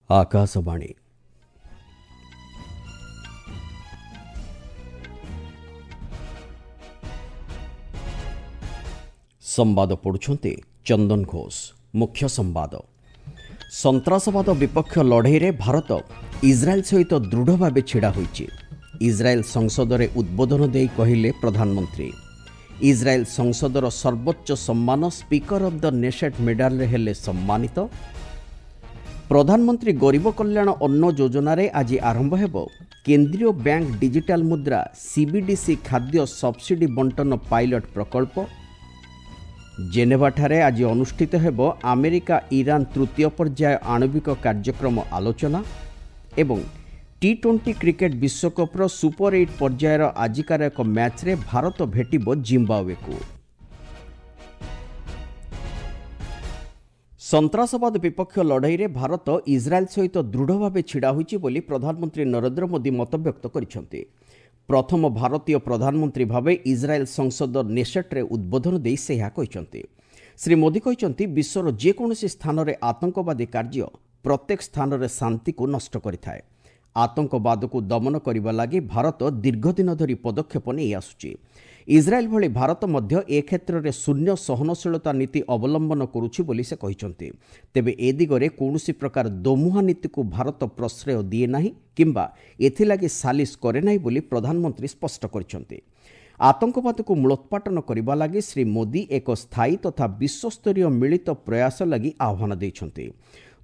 ଆକାଶବାଣୀ। ସମ୍ବାଦ ପଢ଼ୁଛନ୍ତି ଚନ୍ଦନ ଘୋଷ। ମୁଖ୍ୟ ସମ୍ବାଦ। ସନ୍ତ୍ରାସବାଦ ବିପକ୍ଷ ଲଢ଼େଇରେ ଭାରତ ଇସ୍ରାଏଲ୍ ସହିତ ଦୃଢ଼ ଭାବେ ଛିଡ଼ା ହୋଇଛି। ଇସ୍ରାଏଲ୍ ସଂସଦରେ ଉଦ୍ବୋଧନ ଦେଇ କହିଲେ ପ୍ରଧାନମନ୍ତ୍ରୀ। ଇସ୍ରାଏଲ୍ ସଂସଦର ସର୍ବୋଚ୍ଚ ସମ୍ମାନ ସ୍ପିକର ଅଫ୍ the ନେସେଟ୍ ମେଡାଲରେ ହେଲେ ସମ୍ମାନିତ। ପ୍ରଧାନମନ୍ତ୍ରୀ ଗରିବ କଲ୍ୟାଣ ଅନ୍ନ ଯୋଜନାରେ ଆଜି ଆରମ୍ଭ ହେବ କେନ୍ଦ୍ରୀୟ ବ୍ୟାଙ୍କ ଡିଜିଟାଲ ମୁଦ୍ରା ସିବିଡିସି ଖାଦ୍ୟ ସବସିଡି ବଣ୍ଟନ ପାଇଲଟ ପ୍ରକଳ୍ପ। ଜେନେଭାଠାରେ ଆଜି ଅନୁଷ୍ଠିତ ହେବ ଆମେରିକା ଇରାନ ତୃତୀୟ ପର୍ଯ୍ୟାୟ ଆଣବିକ କାର୍ଯ୍ୟକ୍ରମ ଆଲୋଚନା। ଏବଂ ଟି-20 କ୍ରିକେଟ ବିଶ୍ୱକପ୍ର ସୁପର ଏଇଟ୍ ପର୍ଯ୍ୟାୟର ଆଜିକାର ଏକ ମ୍ୟାଚ୍ରେ ଭାରତ ଭେଟିବ ଜିମ୍ବାୱେକୁ। ସନ୍ତ୍ରାସବାଦ ବିପକ୍ଷ ଲଢ଼େଇରେ ଭାରତ ଇସ୍ରାଏଲ୍ ସହିତ ଦୃଢ଼ ଭାବେ ଛିଡ଼ା ହୋଇଛି ବୋଲି ପ୍ରଧାନମନ୍ତ୍ରୀ ନରେନ୍ଦ୍ର ମୋଦି ମତବ୍ୟକ୍ତ କରିଛନ୍ତି। ପ୍ରଥମ ଭାରତୀୟ ପ୍ରଧାନମନ୍ତ୍ରୀ ଭାବେ ଇସ୍ରାଏଲ୍ ସଂସଦ ନେସେଟ୍ରେ ଉଦ୍ବୋଧନ ଦେଇ ସେ ଏହା କହିଛନ୍ତି। ଶ୍ରୀ ମୋଦି କହିଛନ୍ତି, ବିଶ୍ୱର ଯେକୌଣସି ସ୍ଥାନରେ ଆତଙ୍କବାଦୀ କାର୍ଯ୍ୟ ପ୍ରତ୍ୟେକ ସ୍ଥାନରେ ଶାନ୍ତିକୁ ନଷ୍ଟ କରିଥାଏ। ଆତଙ୍କବାଦକୁ ଦମନ କରିବା ଲାଗି ଭାରତ ଦୀର୍ଘଦିନ ଧରି ପଦକ୍ଷେପ ନେଇ ଆସୁଛି। ଇସ୍ରାଏଲ୍ ଭଳି ଭାରତ ମଧ୍ୟ ଏ କ୍ଷେତ୍ରରେ ଶୂନ୍ୟ ସହନଶୀଳତା ନୀତି ଅବଲମ୍ବନ କରୁଛି ବୋଲି ସେ କହିଛନ୍ତି। ତେବେ ଏ ଦିଗରେ କୌଣସି ପ୍ରକାର ଦୋମୁହାଁ ନୀତିକୁ ଭାରତ ପ୍ରଶ୍ରୟ ଦିଏ ନାହିଁ କିମ୍ବା ଏଥିଲାଗି ସାଲିସ କରେ ନାହିଁ ବୋଲି ପ୍ରଧାନମନ୍ତ୍ରୀ ସ୍ପଷ୍ଟ କରିଛନ୍ତି। ଆତଙ୍କବାଦକୁ ମୂଳୋତ୍ପାଟନ କରିବା ଲାଗି ଶ୍ରୀ ମୋଦି ଏକ ସ୍ଥାୟୀ ତଥା ବିଶ୍ୱସ୍ତରୀୟ ମିଳିତ ପ୍ରୟାସ ଲାଗି ଆହ୍ୱାନ ଦେଇଛନ୍ତି।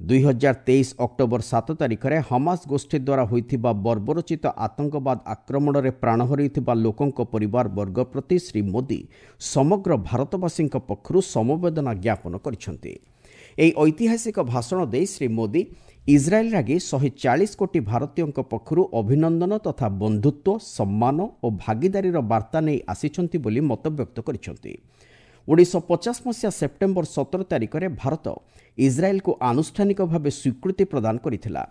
2023 ଅକ୍ଟୋବର 7 ତାରିଖରେ ହମାସ ଗୋଷ୍ଠୀ ଦ୍ୱାରା ହୋଇଥିବା ବର୍ବରୋଚିତ ଆତଙ୍କବାଦ ଆକ୍ରମଣରେ ପ୍ରାଣ ହରାଇଥିବା ଲୋକଙ୍କ ପରିବାର ବର୍ଗ ପ୍ରତି ଶ୍ରୀ ମୋଦି ସମଗ୍ର ଭାରତବାସୀଙ୍କ ପକ୍ଷରୁ ସମବେଦନା ଜ୍ଞାପନ କରିଛନ୍ତି। ଏହି ଐତିହାସିକ ଭାଷଣ ଦେଇ ଶ୍ରୀ ମୋଦି ଇସ୍ରାଏଲ୍ ଲାଗି 140 କୋଟି ଭାରତୀୟଙ୍କ ପକ୍ଷରୁ ଅଭିନନ୍ଦନ ତଥା ବନ୍ଧୁତ୍ୱ, ସମ୍ମାନ ଓ ଭାଗିଦାରୀର ବାର୍ତ୍ତା ନେଇ ଆସିଛନ୍ତି ବୋଲି ମତବ୍ୟକ୍ତ କରିଛନ୍ତି। 1950 ମସିହା ସେପ୍ଟେମ୍ବର 17 ତାରିଖରେ ଭାରତ ଇସ୍ରାଏଲ୍କୁ ଆନୁଷ୍ଠାନିକ ଭାବେ ସ୍ୱୀକୃତି ପ୍ରଦାନ କରିଥିଲା।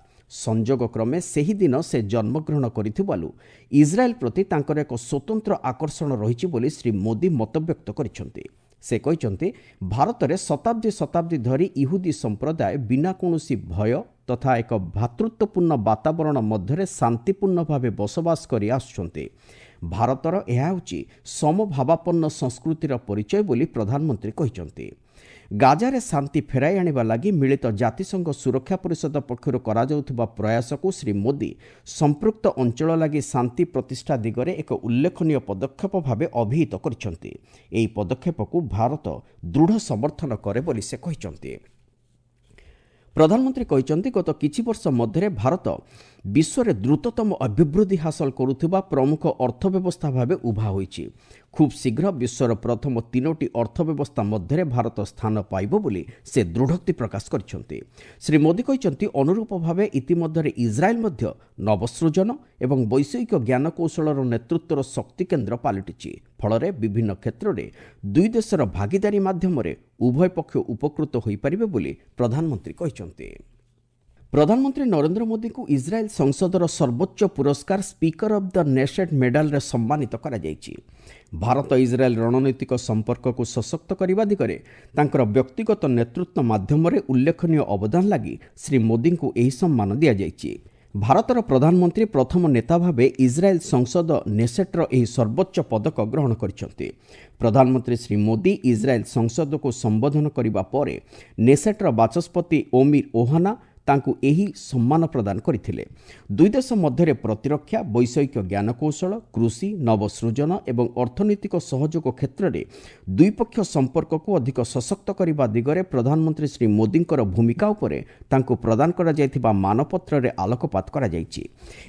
ସଂଯୋଗ କ୍ରମେ ସେହିଦିନ ସେ ଜନ୍ମଗ୍ରହଣ କରିଥିବାରୁ ଇସ୍ରାଏଲ୍ ପ୍ରତି ତାଙ୍କର ଏକ ସ୍ୱତନ୍ତ୍ର ଆକର୍ଷଣ ରହିଛି ବୋଲି ଶ୍ରୀ ମୋଦି ମତବ୍ୟକ୍ତ କରିଛନ୍ତି। ସେ କହିଛନ୍ତି, ଭାରତରେ ଶତାବ୍ଦୀ ଶତାବ୍ଦୀ ଧରି ଇହୁଦୀ ସମ୍ପ୍ରଦାୟ ବିନା କୌଣସି ଭୟ ତଥା ଏକ ଭ୍ରାତୃତ୍ୱପୂର୍ଣ୍ଣ ବାତାବରଣ ମଧ୍ୟରେ ଶାନ୍ତିପୂର୍ଣ୍ଣ ଭାବେ ବସବାସ କରି ଆସୁଛନ୍ତି। ଭାରତର ଏହା ହେଉଛି ସମଭାବାପନ୍ନ ସଂସ୍କୃତିର ପରିଚୟ ବୋଲି ପ୍ରଧାନମନ୍ତ୍ରୀ କହିଛନ୍ତି। ଗାଜାରେ ଶାନ୍ତି ଫେରାଇ ଆଣିବା ଲାଗି ମିଳିତ ଜାତିସଂଘ ସୁରକ୍ଷା ପରିଷଦ ପକ୍ଷରୁ କରାଯାଉଥିବା ପ୍ରୟାସକୁ ଶ୍ରୀ ମୋଦି ସମ୍ପୃକ୍ତ ଅଞ୍ଚଳ ଲାଗି ଶାନ୍ତି ପ୍ରତିଷ୍ଠା ଦିଗରେ ଏକ ଉଲ୍ଲେଖନୀୟ ପଦକ୍ଷେପ ଭାବେ ଅଭିହିତ କରିଛନ୍ତି। ଏହି ପଦକ୍ଷେପକୁ ଭାରତ ଦୃଢ଼ ସମର୍ଥନ କରେ ବୋଲି ସେ କହିଛନ୍ତି। ପ୍ରଧାନମନ୍ତ୍ରୀ କହିଛନ୍ତି, ଗତ କିଛି ବର୍ଷ ମଧ୍ୟରେ ଭାରତ ବିଶ୍ୱରେ ଦ୍ରୁତତମ ଅଭିବୃଦ୍ଧି ହାସଲ କରୁଥିବା ପ୍ରମୁଖ ଅର୍ଥବ୍ୟବସ୍ଥା ଭାବେ ଉଭା ହୋଇଛି। ଖୁବ୍ ଶୀଘ୍ର ବିଶ୍ୱର ପ୍ରଥମ 3ଟି ଅର୍ଥବ୍ୟବସ୍ଥା ମଧ୍ୟରେ ଭାରତ ସ୍ଥାନ ପାଇବ ବୋଲି ସେ ଦୃଢ଼ୋକ୍ତି ପ୍ରକାଶ କରିଛନ୍ତି। ଶ୍ରୀ ମୋଦି କହିଛନ୍ତି, ଅନୁରୂପ ଭାବେ ଇତିମଧ୍ୟରେ ଇସ୍ରାଏଲ୍ ମଧ୍ୟ ନବସୃଜନ ଏବଂ ବୈଷୟିକ ଜ୍ଞାନକୌଶଳର ନେତୃତ୍ୱର ଶକ୍ତି କେନ୍ଦ୍ର ପାଲଟିଛି। ଫଳରେ ବିଭିନ୍ନ କ୍ଷେତ୍ରରେ ଦୁଇ ଦେଶର ଭାଗିଦାରୀ ମାଧ୍ୟମରେ ଉଭୟ ପକ୍ଷ ଉପକୃତ ହୋଇପାରିବେ ବୋଲି ପ୍ରଧାନମନ୍ତ୍ରୀ କହିଛନ୍ତି। ପ୍ରଧାନମନ୍ତ୍ରୀ ନରେନ୍ଦ୍ର ମୋଦିଙ୍କୁ ଇସ୍ରାଏଲ୍ ସଂସଦର ସର୍ବୋଚ୍ଚ ପୁରସ୍କାର ସ୍ପିକର ଅଫ୍ the ନେସେଟ୍ ମେଡାଲରେ ସମ୍ମାନିତ କରାଯାଇଛି। ଭାରତ ଇସ୍ରାଏଲ୍ ରଣନୈତିକ ସମ୍ପର୍କକୁ ସଶକ୍ତ କରିବା ଦିଗରେ ତାଙ୍କର ବ୍ୟକ୍ତିଗତ ନେତୃତ୍ୱ ମାଧ୍ୟମରେ ଉଲ୍ଲେଖନୀୟ ଅବଦାନ ଲାଗି ଶ୍ରୀ ମୋଦିଙ୍କୁ ଏହି ସମ୍ମାନ ଦିଆଯାଇଛି। ଭାରତର ପ୍ରଧାନମନ୍ତ୍ରୀ ପ୍ରଥମ ନେତା ଭାବେ ଇସ୍ରାଏଲ୍ ସଂସଦ ନେସେଟ୍ର ଏହି ସର୍ବୋଚ୍ଚ ପଦକ ଗ୍ରହଣ କରିଛନ୍ତି। ପ୍ରଧାନମନ୍ତ୍ରୀ ଶ୍ରୀ ମୋଦି ଇସ୍ରାଏଲ୍ ସଂସଦକୁ ସମ୍ବୋଧନ କରିବା ପରେ ନେସେଟ୍ର ବାଚସ୍ପତି ଓମିର ଓହାନା ତାଙ୍କୁ ଏହି ସମ୍ମାନ ପ୍ରଦାନ କରିଥିଲେ। ଦୁଇ ଦେଶ ମଧ୍ୟରେ ପ୍ରତିରକ୍ଷା, ବୈଷୟିକ ଜ୍ଞାନକୌଶଳ, କୃଷି, ନବସୃଜନ ଏବଂ ଅର୍ଥନୈତିକ ସହଯୋଗ କ୍ଷେତ୍ରରେ ଦ୍ୱିପକ୍ଷ ସମ୍ପର୍କକୁ ଅଧିକ ସଶକ୍ତ କରିବା ଦିଗରେ ପ୍ରଧାନମନ୍ତ୍ରୀ ଶ୍ରୀ ମୋଦିଙ୍କର ଭୂମିକା ଉପରେ ତାଙ୍କୁ ପ୍ରଦାନ କରାଯାଇଥିବା ମାନପତ୍ରରେ ଆଲୋକପାତ କରାଯାଇଛି।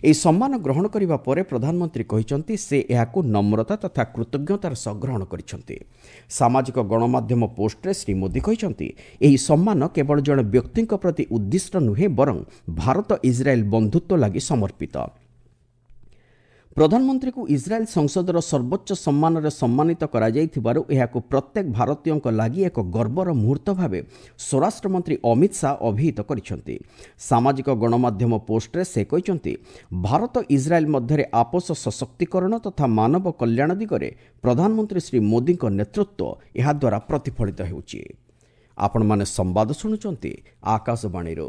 ଏହି ସମ୍ମାନ ଗ୍ରହଣ କରିବା ପରେ ପ୍ରଧାନମନ୍ତ୍ରୀ କହିଛନ୍ତି, ସେ ଏହାକୁ ନମ୍ରତା ତଥା କୃତଜ୍ଞତାର ସହ ଗ୍ରହଣ କରିଛନ୍ତି। ସାମାଜିକ ଗଣମାଧ୍ୟମ ପୋଷ୍ଟରେ ଶ୍ରୀ ମୋଦି କହିଛନ୍ତି, ଏହି ସମ୍ମାନ କେବଳ ଜଣେ ବ୍ୟକ୍ତିଙ୍କ ପ୍ରତି ଉଦ୍ଦିଷ୍ଟ ନୁହେଁ, ବରଂ ଭାରତ ଇସ୍ରାଏଲ୍ ବନ୍ଧୁତ୍ୱ ଲାଗି ସମର୍ପିତ। ପ୍ରଧାନମନ୍ତ୍ରୀଙ୍କୁ ଇସ୍ରାଏଲ୍ ସଂସଦର ସର୍ବୋଚ୍ଚ ସମ୍ମାନରେ ସମ୍ମାନିତ କରାଯାଇଥିବାରୁ ଏହାକୁ ପ୍ରତ୍ୟେକ ଭାରତୀୟଙ୍କ ଲାଗି ଏକ ଗର୍ବର ମୁହୂର୍ତ୍ତ ଭାବେ ସ୍ୱରାଷ୍ଟ୍ରମନ୍ତ୍ରୀ ଅମିତ ଶାହ ଅଭିହିତ କରିଛନ୍ତି। ସାମାଜିକ ଗଣମାଧ୍ୟମ ପୋଷ୍ଟରେ ସେ କହିଛନ୍ତି, ଭାରତ ଇସ୍ରାଏଲ୍ ମଧ୍ୟରେ ଆପୋଷ ସଶକ୍ତିକରଣ ତଥା ମାନବ କଲ୍ୟାଣ ଦିଗରେ ପ୍ରଧାନମନ୍ତ୍ରୀ ଶ୍ରୀ ମୋଦିଙ୍କ ନେତୃତ୍ୱ ଏହାଦ୍ୱାରା ପ୍ରତିଫଳିତ ହେଉଛି। ଆପଣମାନେ ସମ୍ବାଦ ଶୁଣୁଛନ୍ତି ଆକାଶବାଣୀରୁ।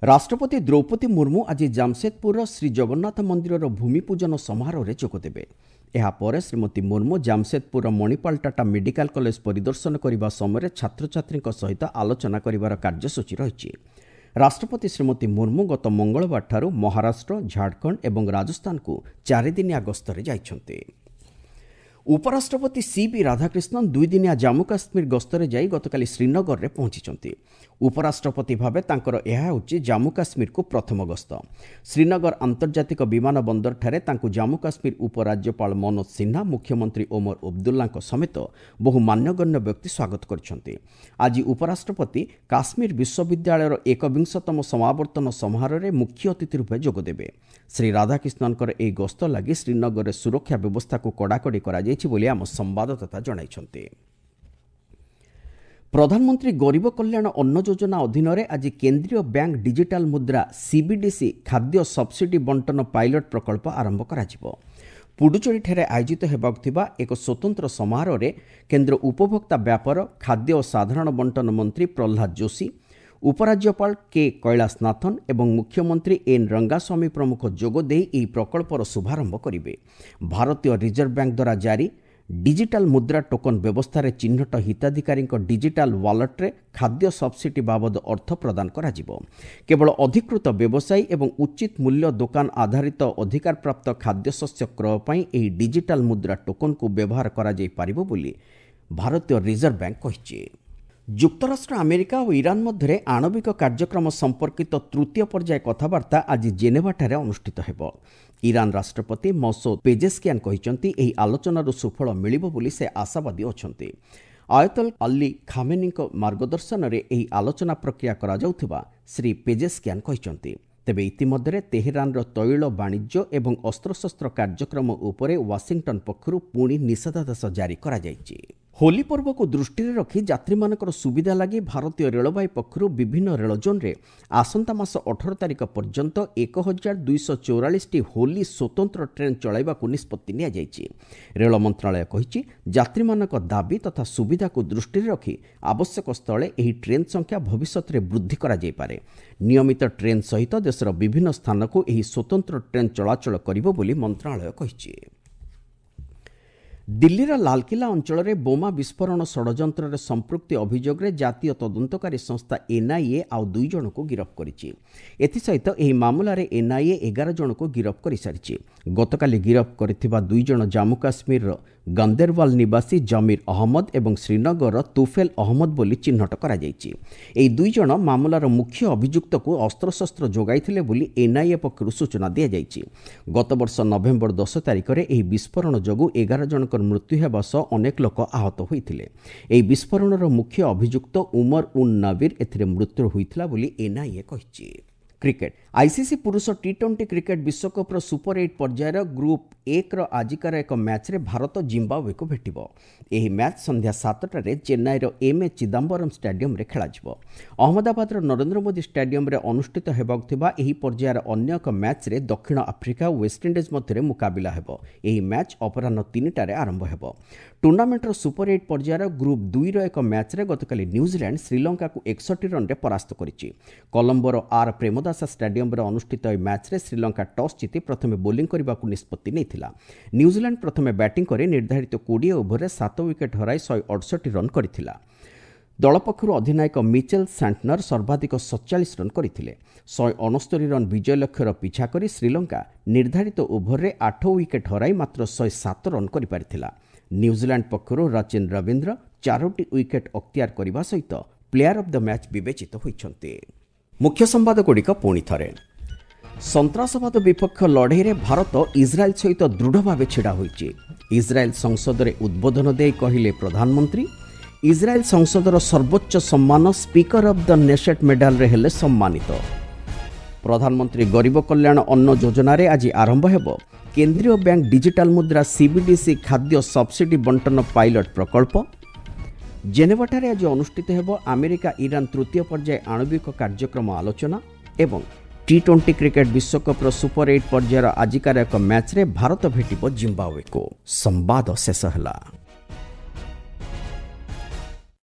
ରାଷ୍ଟ୍ରପତି ଦ୍ରୌପଦୀ ମୁର୍ମୁ ଆଜି ଜାମସେଦପୁରର ଶ୍ରୀ ଜଗନ୍ନାଥ ମନ୍ଦିରର ଭୂମିପୂଜନ ସମାରୋହରେ ଯୋଗଦେବେ। ଏହାପରେ ଶ୍ରୀମତୀ ମୁର୍ମୁ ଜାମସେଦପୁରର ମଣିପାଲ ଟାଟା ମେଡିକାଲ କଲେଜ ପରିଦର୍ଶନ କରିବା ସମୟରେ ଛାତ୍ରଛାତ୍ରୀଙ୍କ ସହିତ ଆଲୋଚନା କରିବାର କାର୍ଯ୍ୟସୂଚୀ ରହିଛି। ରାଷ୍ଟ୍ରପତି ଶ୍ରୀମତୀ ମୁର୍ମୁ ଗତ ମଙ୍ଗଳବାରଠାରୁ ମହାରାଷ୍ଟ୍ର, ଝାଡ଼ଖଣ୍ଡ ଏବଂ ରାଜସ୍ଥାନକୁ 4 ଦିନିଆ ଗସ୍ତରେ ଯାଇଛନ୍ତି। ଉପରାଷ୍ଟ୍ରପତି ସିବି ରାଧାକ୍ରିଷ୍ଣନ 2 ଦିନିଆ ଜାମ୍ମୁ କାଶ୍ମୀର ଗସ୍ତରେ ଯାଇ ଗତକାଲି ଶ୍ରୀନଗରରେ ପହଞ୍ଚିଛନ୍ତି। ଉପରାଷ୍ଟ୍ରପତି ଭାବେ ତାଙ୍କର ଏହା ହେଉଛି ଜାମ୍ମୁ କାଶ୍ମୀରକୁ ପ୍ରଥମ ଗସ୍ତ। ଶ୍ରୀନଗର ଆନ୍ତର୍ଜାତିକ ବିମାନ ବନ୍ଦରଠାରେ ତାଙ୍କୁ ଜାମ୍ମୁ କାଶ୍ମୀର ଉପରାଜ୍ୟପାଳ ମନୋଜ ସିହ୍ନା, ମୁଖ୍ୟମନ୍ତ୍ରୀ ଓମର ଅବଦୁଲ୍ଲାଙ୍କ ସମେତ ବହୁ ମାନ୍ୟଗଣ୍ୟ ବ୍ୟକ୍ତି ସ୍ୱାଗତ କରିଛନ୍ତି। ଆଜି ଉପରାଷ୍ଟ୍ରପତି କାଶ୍ମୀର ବିଶ୍ୱବିଦ୍ୟାଳୟର ଏକବିଂଶତମ ସମାବର୍ତ୍ତନ ସମାରୋହରେ ମୁଖ୍ୟ ଅତିଥି ରୂପେ ଯୋଗଦେବେ। ଶ୍ରୀ ରାଧାକ୍ରିଷ୍ଣନଙ୍କର ଏହି ଗସ୍ତ ଲାଗି ଶ୍ରୀନଗରରେ ସୁରକ୍ଷା ବ୍ୟବସ୍ଥାକୁ କଡ଼ାକଡ଼ି କରାଯାଇଛି ବୋଲି ଆମ ସମ୍ବାଦଦାତା ଜଣାଇଛନ୍ତି। ପ୍ରଧାନମନ୍ତ୍ରୀ ଗରିବ କଲ୍ୟାଣ ଅନ୍ନ ଯୋଜନା ଅଧୀନରେ ଆଜି କେନ୍ଦ୍ରୀୟ ବ୍ୟାଙ୍କ ଡିଜିଟାଲ ମୁଦ୍ରା, ସିବିଡିସି ଖାଦ୍ୟ ସବସିଡି ବଣ୍ଟନ ପାଇଲଟ ପ୍ରକଳ୍ପ ଆରମ୍ଭ କରାଯିବ। ପୁଡୁଚେରୀଠାରେ ଆୟୋଜିତ ହେବାକୁ ଥିବା ଏକ ସ୍ୱତନ୍ତ୍ର ସମାରୋହରେ କେନ୍ଦ୍ର ଉପଭୋକ୍ତା ବ୍ୟାପାର, ଖାଦ୍ୟ ଓ ସାଧାରଣ ବଣ୍ଟନ ମନ୍ତ୍ରୀ ପ୍ରହ୍ଲାଦ ଯୋଶୀ, ଉପରାଜ୍ୟପାଳ କେ କୈଳାସନାଥନ ଏବଂ ମୁଖ୍ୟମନ୍ତ୍ରୀ ଏନ୍ ରଙ୍ଗାସ୍ୱାମୀ ପ୍ରମୁଖ ଯୋଗଦେଇ ଏହି ପ୍ରକଳ୍ପର ଶୁଭାରମ୍ଭ କରିବେ। ଭାରତୀୟ ରିଜର୍ଭ ବ୍ୟାଙ୍କ ଦ୍ୱାରା ଜାରି ଡିଜିଟାଲ ମୁଦ୍ରା ଟୋକନ ବ୍ୟବସ୍ଥାରେ ଚିହ୍ନଟ ହିତାଧିକାରୀଙ୍କ ଡିଜିଟାଲ ୱାଲେଟ୍ରେ ଖାଦ୍ୟ ସବସିଡି ବାବଦ ଅର୍ଥ ପ୍ରଦାନ କରାଯିବ। କେବଳ ଅଧିକୃତ ବ୍ୟବସାୟୀ ଏବଂ ଉଚିତ ମୂଲ୍ୟ ଦୋକାନ ଆଧାରିତ ଅଧିକାରପ୍ରାପ୍ତ ଖାଦ୍ୟଶସ୍ୟ କ୍ରୟ ପାଇଁ ଏହି ଡିଜିଟାଲ ମୁଦ୍ରା ଟୋକନକୁ ବ୍ୟବହାର କରାଯାଇପାରିବ ବୋଲି ଭାରତୀୟ ରିଜର୍ଭ ବ୍ୟାଙ୍କ କହିଛି। ଯୁକ୍ତରାଷ୍ଟ୍ର ଆମେରିକା ଓ ଇରାନ ମଧ୍ୟରେ ଆଣବିକ କାର୍ଯ୍ୟକ୍ରମ ସମ୍ପର୍କିତ ତୃତୀୟ ପର୍ଯ୍ୟାୟ କଥାବାର୍ତ୍ତା ଆଜି ଜେନେଭାଠାରେ ଅନୁଷ୍ଠିତ ହେବ। ଇରାନ ରାଷ୍ଟ୍ରପତି ମସୌଦ ପେଜେସ୍କିଆନ୍ କହିଛନ୍ତି, ଏହି ଆଲୋଚନାରୁ ସୁଫଳ ମିଳିବ ବୋଲି ସେ ଆଶାବାଦୀ ଅଛନ୍ତି। ଆୟତଲ ଅଲ୍ଲୀ ଖାମେନିଙ୍କ ମାର୍ଗଦର୍ଶନରେ ଏହି ଆଲୋଚନା ପ୍ରକ୍ରିୟା କରାଯାଉଥିବା ଶ୍ରୀ ପେଜେସ୍କିଆନ୍ କହିଛନ୍ତି। ତେବେ ଇତିମଧ୍ୟରେ ତେହେରାନର ତୈଳ ବାଣିଜ୍ୟ ଏବଂ ଅସ୍ତ୍ରଶସ୍ତ୍ର କାର୍ଯ୍ୟକ୍ରମ ଉପରେ ୱାଶିଂଟନ୍ ପକ୍ଷରୁ ପୁଣି ନିଷେଧାଦେଶ ଜାରି କରାଯାଇଛି। ହୋଲି ପର୍ବକୁ ଦୃଷ୍ଟିରେ ରଖି ଯାତ୍ରୀମାନଙ୍କର ସୁବିଧା ଲାଗି ଭାରତୀୟ ରେଳବାଇ ପକ୍ଷରୁ ବିଭିନ୍ନ ରେଳ ଜୋନ୍ରେ ଆସନ୍ତା ମାସ 18 ତାରିଖ ପର୍ଯ୍ୟନ୍ତ 1244ଟି ହୋଲି ସ୍ୱତନ୍ତ୍ର ଟ୍ରେନ୍ ଚଳାଇବାକୁ ନିଷ୍ପତ୍ତି ନିଆଯାଇଛି। ରେଳ ମନ୍ତ୍ରଣାଳୟ କହିଛି, ଯାତ୍ରୀମାନଙ୍କ ଦାବି ତଥା ସୁବିଧାକୁ ଦୃଷ୍ଟିରେ ରଖି ଆବଶ୍ୟକ ସ୍ଥଳେ ଏହି ଟ୍ରେନ୍ ସଂଖ୍ୟା ଭବିଷ୍ୟତରେ ବୃଦ୍ଧି କରାଯାଇପାରେ। ନିୟମିତ ଟ୍ରେନ୍ ସହିତ ଦେଶର ବିଭିନ୍ନ ସ୍ଥାନକୁ ଏହି ସ୍ୱତନ୍ତ୍ର ଟ୍ରେନ୍ ଚଳାଚଳ କରିବ ବୋଲି ମନ୍ତ୍ରଣାଳୟ କହିଛି। ଦିଲ୍ଲୀର ଲାଲକିଲ୍ଲା ଅଞ୍ଚଳରେ ବୋମା ବିସ୍ଫୋରଣ ଷଡ଼ଯନ୍ତ୍ରରେ ସମ୍ପୃକ୍ତି ଅଭିଯୋଗରେ ଜାତୀୟ ତଦନ୍ତକାରୀ ସଂସ୍ଥା ଏନ୍ଆଇଏ ଆଉ ଦୁଇ ଜଣଙ୍କୁ ଗିରଫ କରିଛି। ଏଥିସହିତ ଏହି ମାମଲାରେ ଏନ୍ଆଇଏ 11 ଜଣଙ୍କୁ ଗିରଫ କରିସାରିଛି। ଗତକାଲି ଗିରଫ କରିଥିବା ଦୁଇ ଜଣ ଜାମ୍ମୁ କାଶ୍ମୀରର ଗନ୍ଦେରୱାଲ ନିବାସୀ ଜମିର ଅହମ୍ମଦ ଏବଂ ଶ୍ରୀନଗରର ତୁଫେଲ ଅହମ୍ମଦ ବୋଲି ଚିହ୍ନଟ କରାଯାଇଛି। ଏହି ଦୁଇ ଜଣ ମାମଲାର ମୁଖ୍ୟ ଅଭିଯୁକ୍ତକୁ ଅସ୍ତ୍ରଶସ୍ତ୍ର ଯୋଗାଇଥିଲେ ବୋଲି ଏନ୍ଆଇଏ ପକ୍ଷରୁ ସୂଚନା ଦିଆଯାଇଛି। ଗତବର୍ଷ ନଭେମ୍ବର 10 ତାରିଖରେ ଏହି ବିସ୍ଫୋରଣ ଯୋଗୁଁ 11 ଜଣଙ୍କର ମୃତ୍ୟୁ ହେବା ସହ ଅନେକ ଲୋକ ଆହତ ହୋଇଥିଲେ। ଏହି ବିସ୍ଫୋରଣର ମୁଖ୍ୟ ଅଭିଯୁକ୍ତ ଉମର ଉନ୍ ନବୀର ଏଥିରେ ମୃତ୍ୟୁ ହୋଇଥିଲା ବୋଲି ଏନ୍ଆଇଏ କହିଛି। କ୍ରିକେଟ। ଆଇସିସି ପୁରୁଷ ଟି-20 କ୍ରିକେଟ ବିଶ୍ୱକପ୍ର ସୁପର ଏଇଟ୍ ପର୍ଯ୍ୟାୟର ଗ୍ରୁପ୍ 1ର ଆଜିକାର ଏକ ମ୍ୟାଚ୍ରେ ଭାରତ ଜିମ୍ବାୱେକୁ ଭେଟିବ। ଏହି ମ୍ୟାଚ୍ ସନ୍ଧ୍ୟା 7ଟାରେ ଚେନ୍ନାଇର ଏମ୍ ଏ ଚିଦାମ୍ବରମ୍ ଷ୍ଟାଡିୟମରେ ଖେଳାଯିବ। ଅହମ୍ମଦାବାଦର ନରେନ୍ଦ୍ର ମୋଦି ଷ୍ଟାଡିୟମରେ ଅନୁଷ୍ଠିତ ହେବାକୁ ଥିବା ଏହି ପର୍ଯ୍ୟାୟର ଅନ୍ୟ ଏକ ମ୍ୟାଚ୍ରେ ଦକ୍ଷିଣ ଆଫ୍ରିକା ଓ ୱେଷ୍ଟଇଣ୍ଡିଜ୍ ମଧ୍ୟରେ ମୁକାବିଲା ହେବ। ଏହି ମ୍ୟାଚ୍ ଅପରାହ୍ନ 3ଟାରେ ଆରମ୍ଭ ହେବ। ଟୁର୍ଣ୍ଣାମେଣ୍ଟର ସୁପର ଏଇଟ୍ ପର୍ଯ୍ୟାୟର ଗ୍ରୁପ୍ 2ର ଏକ ମ୍ୟାଚ୍ରେ ଗତକାଲି ନ୍ୟୁଜିଲ୍ୟାଣ୍ଡ ଶ୍ରୀଲଙ୍କାକୁ 61 ରନ୍ରେ ପରାସ୍ତ କରିଛି। କଲମ୍ବୋର ଆର୍ ପ୍ରେମଦାସା ଷ୍ଟାଡିୟମରେ ଅନୁଷ୍ଠିତ ଏହି ମ୍ୟାଚ୍ରେ ଶ୍ରୀଲଙ୍କା ଟସ୍ ଜିତି ପ୍ରଥମେ ବୋଲିଂ କରିବାକୁ ନିଷ୍ପତ୍ତି ନେଇଥିଲା। ନ୍ୟୁଜିଲ୍ୟାଣ୍ଡ ପ୍ରଥମେ ବ୍ୟାଟିଂ କରି ନିର୍ଦ୍ଧାରିତ 20 ଓଭରରେ 7 ୱିକେଟ୍ ହରାଇ 168 ରନ୍ କରିଥିଲା। ଦଳ ପକ୍ଷରୁ ଅଧିନାୟକ ମିଚେଲ ସାଣ୍ଟନର ସର୍ବାଧିକ 47 ରନ୍ କରିଥିଲେ। 169 ରନ୍ ବିଜୟ ଲକ୍ଷ୍ୟର ପିଛା କରି ଶ୍ରୀଲଙ୍କା ନିର୍ଦ୍ଧାରିତ ଓଭରରେ 8 ୱିକେଟ୍ ହରାଇ ମାତ୍ର 107 ରନ୍ କରିପାରିଥିଲା। ନ୍ୟୁଜିଲ୍ୟାଣ୍ଡ ପକ୍ଷରୁ ରଚିନ ରବୀନ୍ଦ୍ର ଚାରୋଟି ୱିକେଟ୍ ଅକ୍ତିଆର କରିବା ସହିତ ପ୍ଲେୟାର ଅଫ୍ the match ବିବେଚିତ ହୋଇଛନ୍ତି। ମୁଖ୍ୟ ସମ୍ବାଦଗୁଡ଼ିକ ପୁଣି ଥରେ। ସନ୍ତ୍ରାସବାଦ ବିପକ୍ଷ ଲଢ଼େଇରେ ଭାରତ ଇସ୍ରାଏଲ୍ ସହିତ ଦୃଢ଼ ଭାବେ ଛିଡ଼ା ହୋଇଛି, ଇସ୍ରାଏଲ୍ ସଂସଦରେ ଉଦ୍ବୋଧନ ଦେଇ କହିଲେ ପ୍ରଧାନମନ୍ତ୍ରୀ। ଇସ୍ରାଏଲ୍ ସଂସଦର ସର୍ବୋଚ୍ଚ ସମ୍ମାନ ସ୍ପିକର ଅଫ୍ the ନେସେଟ୍ ମେଡାଲରେ ହେଲେ ସମ୍ମାନିତ। ପ୍ରଧାନମନ୍ତ୍ରୀ ଗରିବ କଲ୍ୟାଣ ଅନ୍ନ ଯୋଜନାରେ ଆଜି ଆରମ୍ଭ ହେବ କେନ୍ଦ୍ରୀୟ ବ୍ୟାଙ୍କ ଡିଜିଟାଲ ମୁଦ୍ରା, ସିବିଡିସି ଖାଦ୍ୟ ସବସିଡି ବଣ୍ଟନ ପାଇଲଟ ପ୍ରକଳ୍ପ। ଜେନେଭାଠାରେ ଆଜି ଅନୁଷ୍ଠିତ ହେବ ଆମେରିକା ଇରାନ ତୃତୀୟ ପର୍ଯ୍ୟାୟ ଆଣବିକ କାର୍ଯ୍ୟକ୍ରମ ଆଲୋଚନା ଏବଂ ଟି-20 କ୍ରିକେଟ ବିଶ୍ୱକପ୍ର ସୁପର ଏଇଟ୍ ପର୍ଯ୍ୟାୟର ଆଜିକାର ଏକ ମ୍ୟାଚ୍ରେ ଭାରତ ଭେଟିବ ଜିମ୍ବାୱେକୁ। ସମ୍ବାଦ ଶେଷ ହେଲା।